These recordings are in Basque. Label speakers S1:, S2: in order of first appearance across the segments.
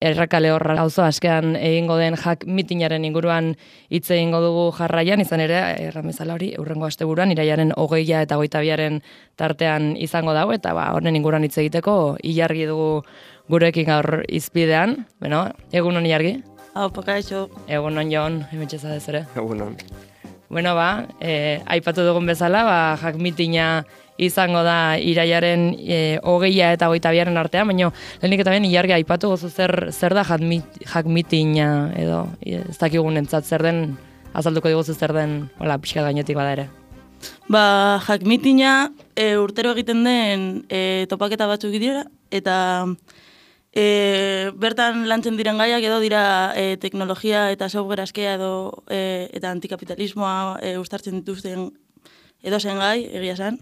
S1: Errekale horra auzo askean egingo den hack mitinaren inguruan hitz egingo dugu jarraian, izan ere, erran bezala hori, hurrengo asteburuan, irailaren 20 eta 22 tartean izango dago, eta honen inguruan hitz egiteko, Ilargi dugu gurekin gaur izpidean. Beno, egunon Ilargi?
S2: Hau, pakaixo.
S1: Egunon Jon, hemetxe zadez ere.
S3: Egunon.
S1: Bueno, aipatu dugun bezala, hack mitina izango da irailaren 20 eta 22 artean, baina lehenik eta ben Ilargi aipatu gozu zer da hack mitina edo ez dakigunentzat zer den, azalduko diguzu zer den, hola, pixka gainetik bada ere.
S2: Hack mitina urtero egiten den topaketa batzuk dira, eta bertan lantzen diren gaiak edo dira teknologia eta software askea edo eta antikapitalismoa uztartzen dituzten edo zen gai, egia esan.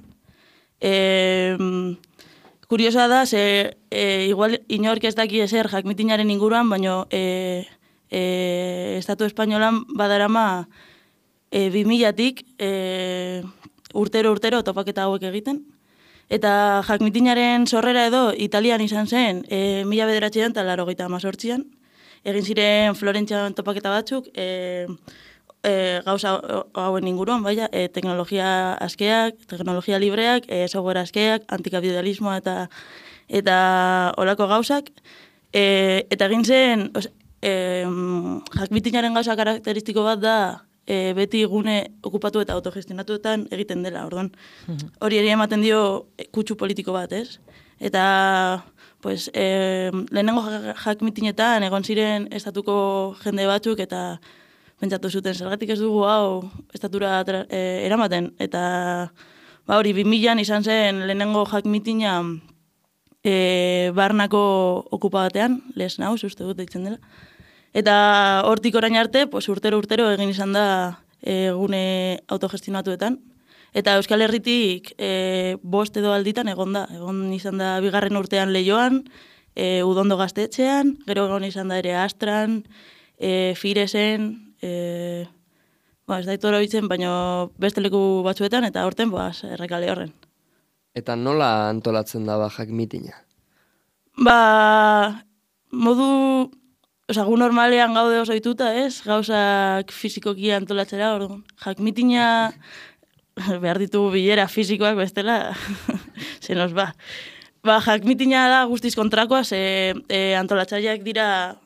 S2: Kuriosa da, igual inork ez daki ezer hack mitinaren inguruan, baina Estatu Espainolan badarama 2000-tik urtero topaketa hauek egiten. Eta hack mitinaren sorrera edo Italian izan zen 1988an, egin ziren Florentzian topaketa batzuk, gauza hauen inguruan, teknologia askeak, teknologia libreak, software askeak, antikapitalismoa eta olako gauzak. Eta egin zen, hack mitinaren gauza karakteristiko bat da, beti gune okupatu eta autogestionatuetan egiten dela, orduan. Hori ere ematen dio kutsu politiko bat, ez? Eta, lehenengo hack mitinetan egon ziren estatuko jende batzuk eta pentsatu zuten, zergatik ez dugu hau estatura eramaten. Eta, hori, 2000an izan zen lehenengo hack mitina barnako okupa batean, Les Naus, uste dut deitzen dela. Eta hortik orain arte, urtero egin izan da gune autogestionatuetan. Eta Euskal Herritik 5 edo alditan egon izan da 2. urtean Leioan, Udondo Gaztetxean, gero egon izan da ere Astran, Firesen, ez da itoro bitzen, baina beste leku batzuetan, eta horten, Errekale horren.
S3: Eta nola antolatzen da hack mitina?
S2: Modu... gu normalean gaude oso dituta, ez? Gauzak fizikoki antolatzera, orduan. Hack mitina behar ditugu bilera fizikoak bestela, se nos ba. Hack mitina da guztiz kontrakoa, antolatzaileak dira,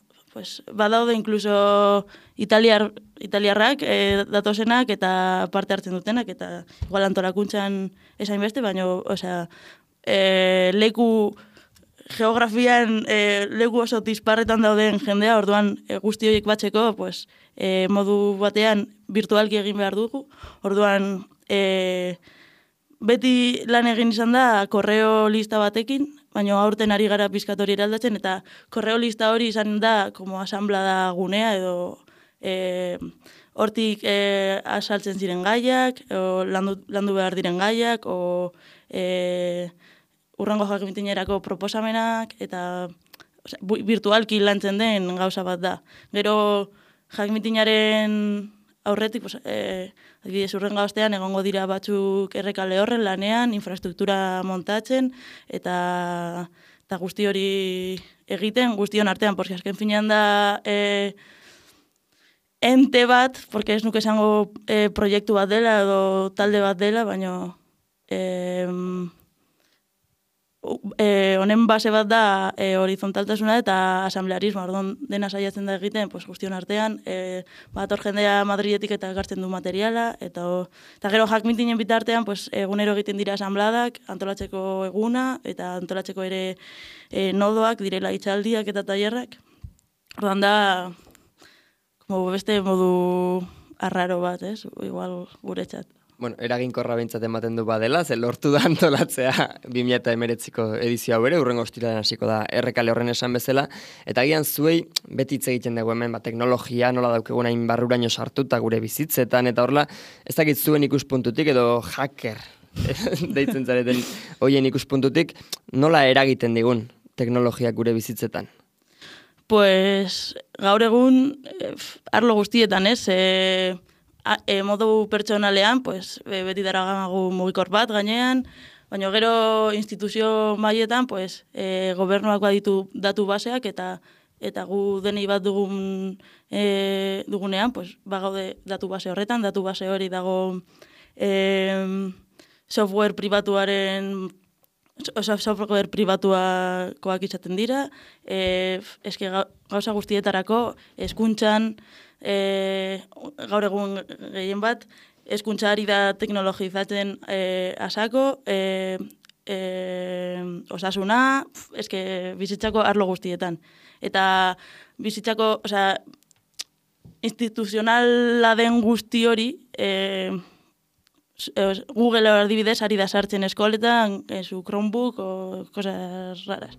S2: badaude inkluso italiarrak datozenak eta parte hartzen dutenak, eta igual antolakuntzan esain beste, baina, leku geografian leku oso disparretan dauden jendea, orduan guzti horiek batzeko, modu batean virtualki egin behar dugu, orduan beti lan egin izan da korreo lista batekin, baina aurten ari gara pizkat hori eraldatzen, eta korreo lista hori izan da como asamblada gunea, edo hortik asaltzen ziren gaiak, landu behar diren gaiak, urrengo hack mitinerako proposamenak, eta virtualki lantzen den gauza bat da. Gero hack mitinaren aurretik, adibidez urrengo astean egongo dira batzuk Errekale horren lanean, infrastruktura montatzen, eta guzti hori egiten, guztion artean, porque azken finean da ente bat, porque ez nuke esango proiektu bat dela, edo talde bat dela, baina honen base bat da horizontaltasuna eta asamblearismo, orduan dena saiatzen da egiten, guztion artean, bator jendea Madriletik eta ekartzen du materiala, eta gero hack mitinen bitartean, egunero egiten dira asambladak, antolatzeko eguna, eta antolatzeko ere nodoak, direla hitzaldiak eta tailerrak. Orduan da, beste modu arraro bat, ez? Igual guretzat.
S3: Bueno, eraginkorra behintzat ematen du badela, ze lortu da antolatzea 2019ko edizio hau ere, urrengo ostiralean hasiko da Errekale horren esan bezala, eta agian zuei beti hitz egiten dugu hemen, teknologia nola daukegun hain barruraino sartuta gure bizitzetan, eta horrela, ez dakit zuen ikuspuntutik edo hacker deitzen zareten hoien ikuspuntutik, nola eragiten digun teknologiak gure bizitzetan?
S2: Gaur egun, arlo guztietan, ez? Modu pertsonalean, beti daragagu mugikor bat gainean, baina gero instituzio mailetan, gobernuak baditu datu baseak eta eta gu denei bat dugunean, pues, bagaude datu base horretan, datu base hori dago software pribatuakoak izaten dira, eske gauza guztietarako, hezkuntzan, gaur egun gehien bat, hezkuntza ari da teknologizatzen asako, osasuna, eske bizitzako arlo guztietan. Eta bizitzako, instituzionala den guzti hori, Google adibidez ari da sartzen eskoletan, su Chromebook o cosas raras.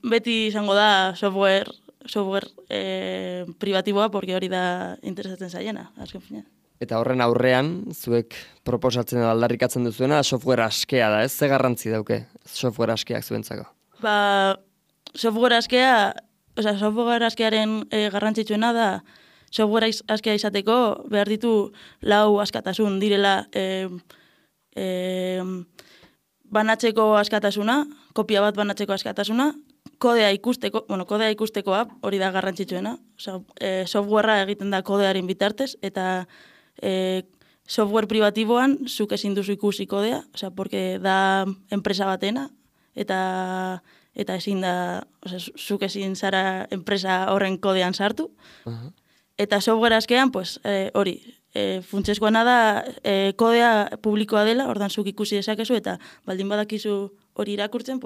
S2: Beti izango da software privatiboa, porque hori da interesatzen zaiena, azken finean.
S3: Eta horren aurrean, zuek proposatzen edo aldarrikatzen duzuena, software askea da, ez? Ze garrantzi dauke software askeak zuentzako?
S2: Software askearen garrantzitsuena da, software askea izateko behar ditu 4 askatasun direla banatzeko askatasuna, kopia bat banatzeko askatasuna, kodea ikustekoa, hori da garrantzitsuena. Softwarea egiten da kodearen bitartez, eta software privatiboan zuk ezin duzu ikusi kodea, porque da enpresa batena, eta ezin da, zuk ezin zara enpresa horren kodean sartu. Eta software askean, hori, funtsezkoana da kodea publikoa dela, ordan zuk ikusi dezakezu, eta baldin badakizu hori irakurtzen,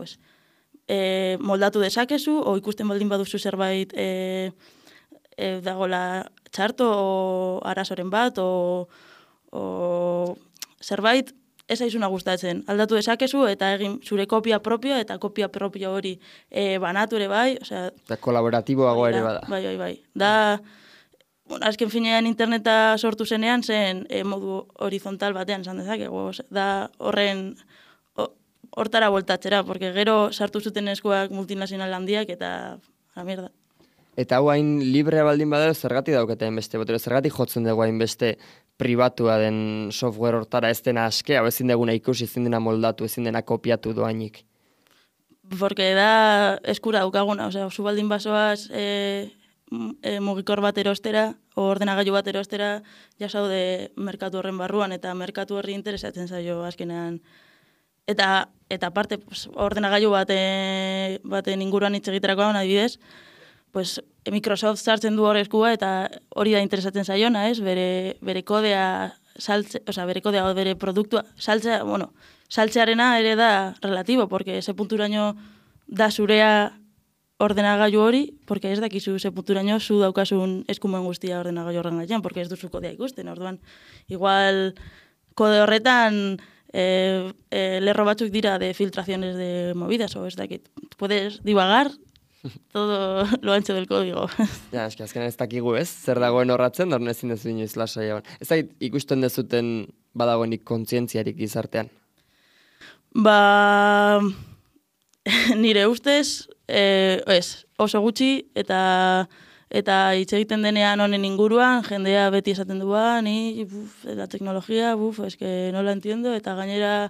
S2: moldatu dezakezu, o ikusten baldin baduzu zerbait dagola txarto, o arazoren bat, o zerbait ez aizuna gustatzen. Aldatu dezakezu, eta egin zure kopia propio, eta kopia propio hori banatu ere bai.
S3: Eta kolaboratiboago ere bada.
S2: Bai. Da, azken finean interneta sortu zenean, zen modu horizontal batean, esan dezakegu. Da hortara voltatzera, porque gero sartu zuten eskuak multinazional handiak, eta a mierda.
S3: Eta hau hain librea baldin badero, zergatik daukete hainbeste, zergatik jotzen dugu hainbeste pribatua den software hortara, ez dena askea, ezin deguna ikusi, ezin dena moldatu, ezin dena kopiatu doainik.
S2: Porque da eskura daukaguna, zu baldin basoaz mugikor bat erostera, o ordenagailu bat erostera, jasaude merkatu horren barruan, eta merkatu horri interesatzen zaio azkenean. Eta aparte, ordenagailu baten inguruan hitz egiterakoan, adibidez, Microsoft sartzen du hor eskua, eta hori da interesatzen zaiona, ez? Bere kodea bere kodea o bere produktua saltzearena ere da relatibo, porque ese punturaino da zurea ordenagailu hori, porque ez dakizu ze punturaino zu daukasun eskumen guztia ordenagailu horren gainean, porque ez duzu kodea ikusten, orduan. Igual kode horretan lerro batzuk dira de filtraciones de movidas, o ez dakit. Puedes divagar todo lo ancho del código.
S3: Ja, eski azkenan ez dakigu, ez? Zer dagoen horratzen, da ezin dezu inoiz lasai egon. Ez dakit ikusten dezuten badagoenik kontzientziarik gizartean?
S2: Nire ustez, oso gutxi, eta hitz egiten denean honen inguruan, jendea beti esaten du, ni, la teknologia, eske no la entiendo, eta gainera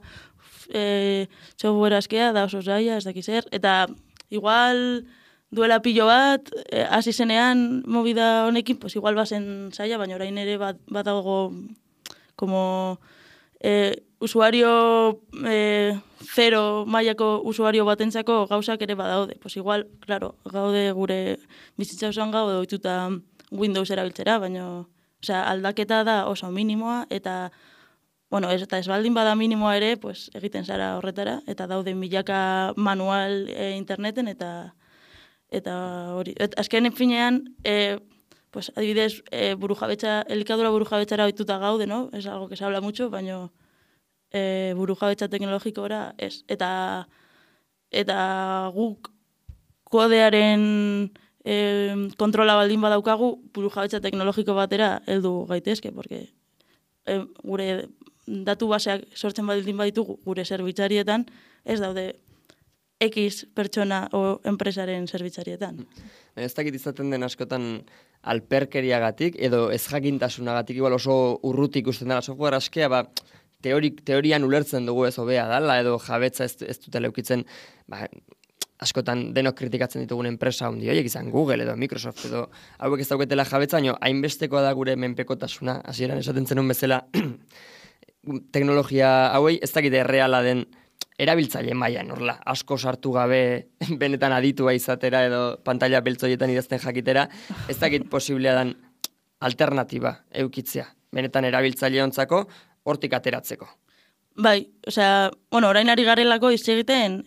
S2: software askea da oso zaila, ez dakiz zer, eta igual duela pilo bat, hasi zenean movida honekin, igual bazen zaila, baina orain ere badago como usuario zero mailako usuario batentzako gauzak ere badaude. Igual, claro, gaude gure bizitza osoan gaude ohituta Windows erabiltzera, baina aldaketa da oso minimoa, eta ez baldin bada minimoa ere, egiten zara horretara, eta daude milaka manual interneten, eta hori. Azken finean, adibidez, elikadura burujabetzara ohituta gaude, no? Es algo que se habla mucho, baina burujabetza teknologikora ez. Eta guk kodearen kontrola baldin badaukagu, burujabetza teknologiko batera heldu gaitezke, porque gure datu baseak sortzen baldin baditugu gure zerbitzarietan, ez daude X pertsona o enpresaren zerbitzarietan.
S3: Ez dakit izaten den askotan alperkeriagatik edo ez jakintasunagatik igual oso urruti ikusten dela software askea, teorian ulertzen dugu ez hobea dala, edo jabetza ez dutela eukitzen, askotan denok kritikatzen ditugun enpresa handi horiek izan Google edo Microsoft edo hauek ez dauketela jabetza, baina hainbestekoa da gure menpekotasuna, hasieran esaten zenun bezala teknologia hauei ez dakite erreala den erabiltzaile mailan, horrela, asko sartu gabe benetan aditua izatera edo pantalla beltzoietan idazten jakitera, ez dakit posiblea dan alternatiba eukitzea, benetan erabiltzaileontzako hortik ateratzeko.
S2: Bai, osea, orain ari garelako hitz egiten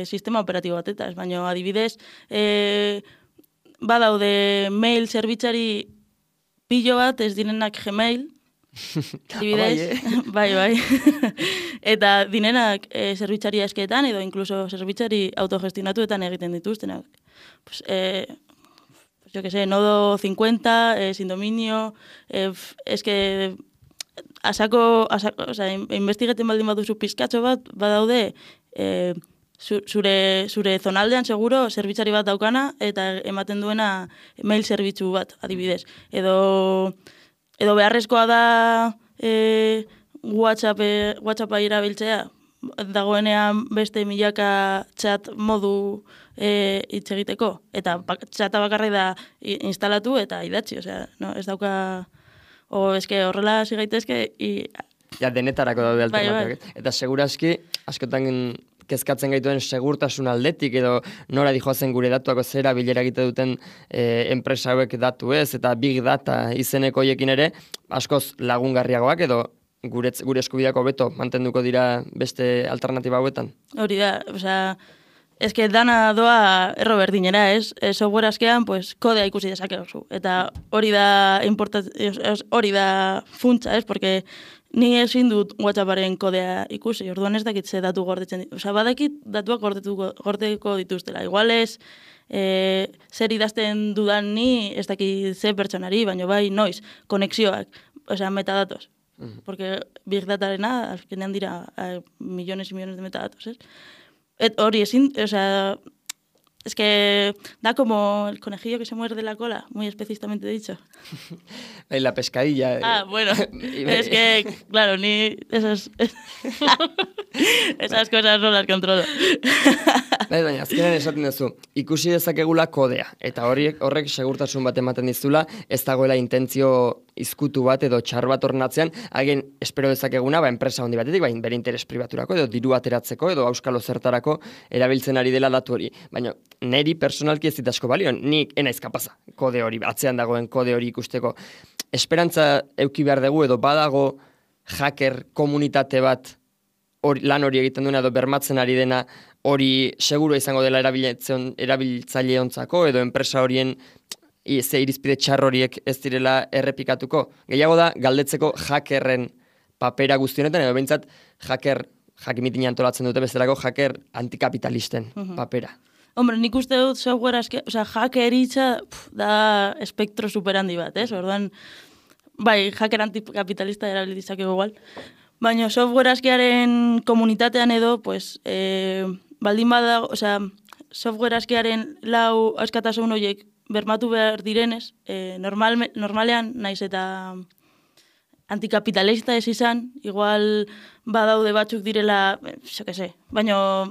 S2: sistema operatibo batetaz, baina adibidez, badaude mail zerbitzari pilo bat ez direnak Gmail, adibidez, bai. Eta dinenak zerbitzari askeetan edo incluso zerbitzari autogestionatuetan egiten dituztenak. Pues, yo que sé, nodo 50, sin dominio, es que investigeten baldin baduzu pizkatxo bat, badaude, zure zonaldean seguro zerbitzari bat daukana eta ematen duena mail zerbitzu bat, adibidez. Edo beharrezkoa da WhatsAppa irabiltzea, dagoenean beste milaka chat modu hitz egiteko, eta chata bakarrik da instalatu eta idatzi, osea, no, ez dauka, eske horrela hasi gaitezke,
S3: ja, denetarako daude alternatibak. Eta seguraski, askotan kezkatzen gaituen segurtasun aldetik edo nora dijoazen gure datuako zera bilera egite duten enpresa hauek datu ez, eta big data izeneko hoiekin ere, askoz lagungarriagoak edo gure eskubideako beto mantenduko dira beste alternatiba hauetan. Hori
S2: da, osea, eske dana doa erro berdinera, ez? Software askean, pues, kodea ikusi dezakezu. Eta hori da funtsa, ez? Porque ni ezin dut WhatsApparen kodea ikusi, orduan ez dakit ze datu gordetzen ditu. Osea, badakit datuak gordeko dituztela. Igual ez, zer idazten dudan ni ez dakit ze pertsonari, baina bai noiz, konexioak, osea, metadatos. Porque Big Datarena, azkenean dira millones y millones de metadatos, ez? Hori ezin, osea, es que da como el conejillo que se muerde la cola, muy específicamente dicho.
S3: La pescadilla.
S2: Ah, bueno, es que, claro, ni esas cosas no las controlo.
S3: Baina, azkenean esaten duzu, ikusi dezakegula kodea, eta horrek segurtasun bat ematen dizula, ez dagoela intentzio izkutu bat edo txar bat ornatzean, hagen espero dezakeguna, enpresa handi batetik, bere interes pribaturako, edo diru ateratzeko, edo auskalo zertarako erabiltzen ari dela datu hori. Baina, neri personalki ez dit asko balio, nik enaiz kapaza kode hori, atzean dagoen kode hori ikusteko. Esperantza euki behar dugu, edo badago hacker komunitate bat lan hori egiten duena, edo bermatzen ari dena, hori seguro izango dela erabiltzaileontzako, edo enpresa horien ze irizpide txar horiek ez direla errepikatuko. Gehiago da, galdetzeko hackerren papera guztionetan, edo behintzat jakimitina antolatzen dute bezalako hacker antikapitalisten papera.
S2: Hombre, nik uste dut software hackeritza da espektro superhandi bat, ez? Orduan, bai, hacker antikapitalista erabilitzak igual. Baina software askearen komunitatean edo, pues, baldin badago, osea, software askearen lau askatasun horiek bermatu behar direnez, normalean naiz eta antikapitalista ez izan, igual badaude batzuk direla, jo que se, baina,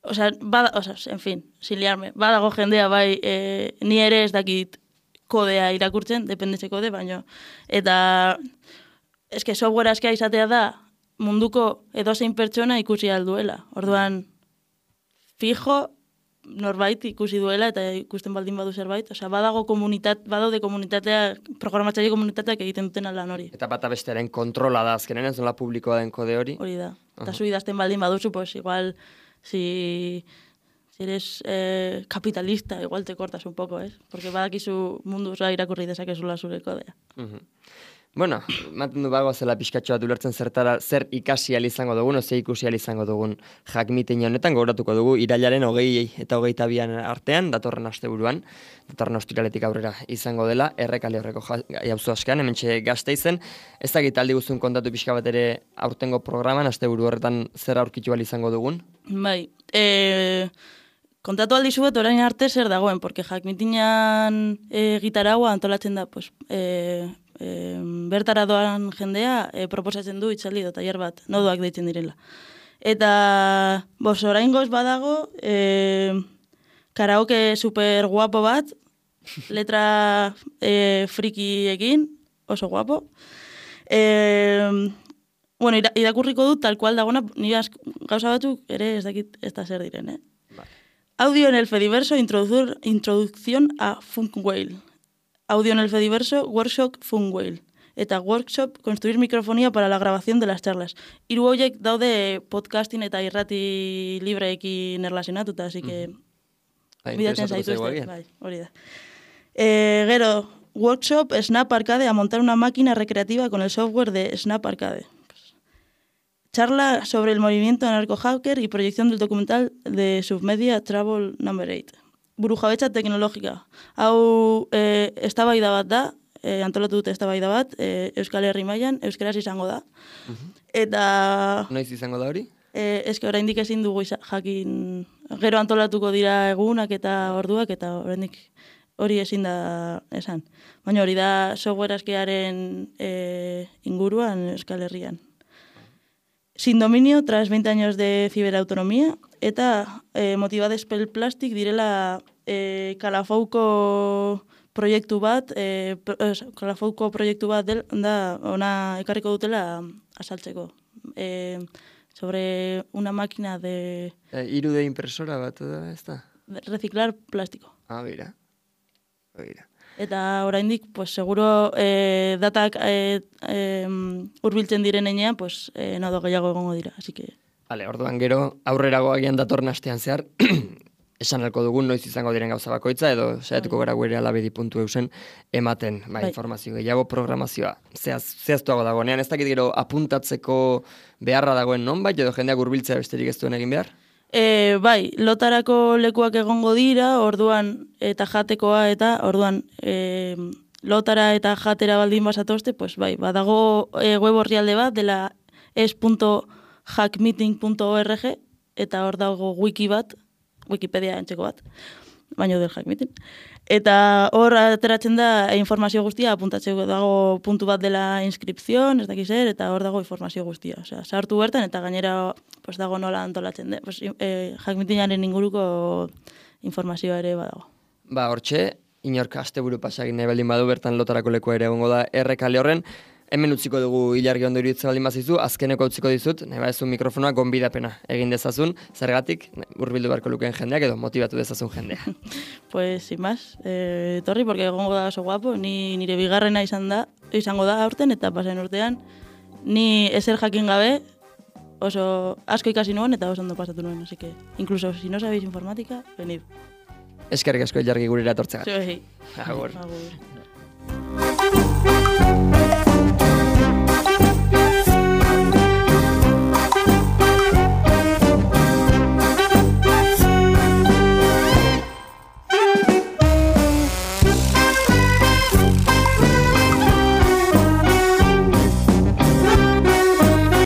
S2: en fin, sin liarme, badago jendea bai, ni ere ez dakit kodea irakurtzen, dependetxe kode, baina, eta eske software askea izatea da munduko edozein pertsona ikusi alduela. Orduan, fijo, norbait ikusi duela eta ikusten baldin badu zerbait. Osea, badaude komunitatea, programatzaile komunitateak egiten duten lan hori.
S3: Eta bata bestearen kontrola da azkenen, ez nola publikoa den kode hori?
S2: Hori da. Eta zu idazten baldin baduzu, pues igual, si eres capitalista, igual te cortas un poco, ¿es? Porque badakizu mundu osoa irakurri dezakezula zure kodea.
S3: Bueno, maten du bagoa zela pixkatxo bat ulertzen zer ikasi izango dugun, ze ikusi izango dugun jakmitin honetan, gogoratuko dugu irailaren 20 eta 22 artean, datorren asteburuan, datorren ostiraletik aurrera izango dela, Errekale horreko jauzu askean, hementxe Gasteizen, ez dakit aldi guztun kontatu pixka bat ere aurtengo programan, asteburu horretan zer aurkitu izango dugun?
S2: Bai, kontatu aldi zuet orain arte zer dagoen, porque jakmitinan gitaragua antolatzen da, pues, bertara doan jendea proposatzen du itzaldi tailer bat, nodoak deitzen direla. Eta, oraingoz badago, karaoke super guapo bat, letra frikiekin, oso guapo. Bueno, irakurriko dut tal cual dagona, nire gauza batzuk ere ez dakit ez da zer diren, Audio en el Fediverso, introducción a Funk Whale. Audio en el Fediverso, workshop Funk Whale. Eta workshop, construir microfonía para la grabación de las charlas. Hiru horiek daude podcasting eta irrati libreekin erlazionatuta, así que... Bidatzen zaituzte, bai, hori da. Gero, workshop Snap Arcade a montar una máquina recreativa con el software de Snap Arcade. Charla sobre el movimiento anarco-hacker y proyección del documental de Submedia Travel No. 8. Burujabetza teknologika. Hau eztabaida bat da, antolatu dute eztabaida bat, Euskal Herri mailan, euskaraz izango da. Eta...
S3: Noiz izango da hori?
S2: Eske oraindik ezin dugu jakin, gero antolatuko dira egunak eta orduak, eta oraindik hori ezin da esan. Baina hori da software askearen inguruan Euskal Herrian. Sin dominio, tras 20 años de ciberautonomía, eta motivades pel plastik direla Kalafouko proiektu bat, da ona ekarriko dutela azaltzeko. Sobre una máquina de...
S3: Irude impresora bat, ez da?
S2: Reciclar plástico.
S3: Bera.
S2: Eta oraindik, seguro datak hurbiltzen diren enean, nodo gehiago egongo dira, así que...
S3: Vale, orduan gero, aurrerago agian datorren astean zehar, esan alko dugun noiz izango diren gauza bakoitza, edo saiatuko gara guere alabedi.eusen ematen, informazio gehiago, programazioa. Zehaztuago dagoenean, ez dakit gero apuntatzeko beharra dagoen nonbait, edo jendeak hurbiltzea besterik ez duen egin behar?
S2: Bai, lotarako lekuak egongo dira, orduan eta jatekoa, eta orduan lotara eta jatera baldin basatozte, bai, badago web orrialde bat, dela es.hackmeeting.org, eta hor dago wiki bat, Wikipedia entzeko bat, baino del hackmeeting. Eta hor ateratzen da informazio guztia, apuntatzeko dago puntu bat dela inskripzion, ez dakiz eta hor dago informazio guztia. Osea, sartu bertan eta gainera dago nola antolatzen da. Hackmeetingaren inguruko informazioa ere badago.
S3: Hortxe, inork asteburu pasagin nahi baldin badu bertan lotarako lekua ere egongo da Errekale horren. Hemen utziko dugu ilargi ondo iruditzen baldin bazizu, azkeneko utziko dizut, nahi badezu mikrofonoa gonbidapena egin dezazun, zergatik hurbildu beharko lukeen jendeak edo motibatu dezazun jendea.
S2: Sin más, torri, porque egongo da oso guapo, nire bigarrena izango da aurten, eta pasen urtean, ni ezer jakin gabe, oso asko ikasi nuen eta oso ondo pasatu nuen, así que, incluso si no sabéis informática, venid.
S3: Eskerrik asko ilargi gurera etortzegatik.
S2: Sí.
S3: Agur.